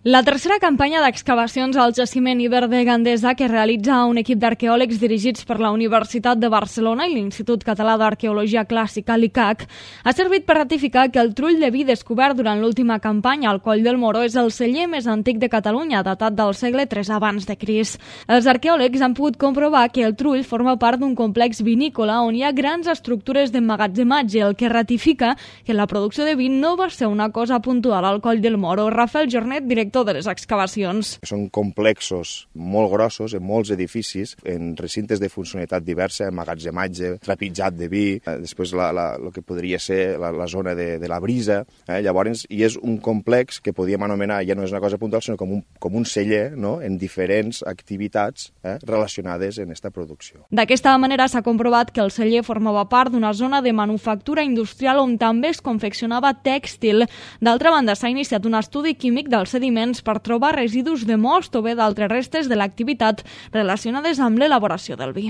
La tercera campanya d'excavacions al jaciment Iber de Gandesa que realitza un equip d'arqueòlegs dirigits per la Universitat de Barcelona i l'Institut Català d'Arqueologia Clàssica, l'ICAC, ha servit per ratificar que el trull de vi descobert durant l'última campanya al Coll del Moró és el celler més antic de Catalunya, datat del segle III abans de Crist. Els arqueòlegs han pogut comprovar que el trull forma part d'un complex vinícola on hi ha grans estructures d'emmagatzematge, el que ratifica que la producció de vi no va ser una cosa puntual al Coll del Moró. Rafael Jornet, director de les excavacions. Són complexos molt grossos, en molts edificis, en recintes de funcionalitat diversa, emmagatzematge, trepitjat de vi, després el que podria ser la zona de la brisa. Llavors, i és un complex que podíem anomenar, ja no és una cosa puntual, sinó com un celler, no?, en diferents activitats relacionades en aquesta producció. D'aquesta manera s'ha comprovat que el celler formava part d'una zona de manufactura industrial on també es confeccionava tèxtil. D'altra banda, s'ha iniciat un estudi químic dels sediments per trobar residus de most o bé d'altres restes de l'activitat relacionades amb l'elaboració del vi.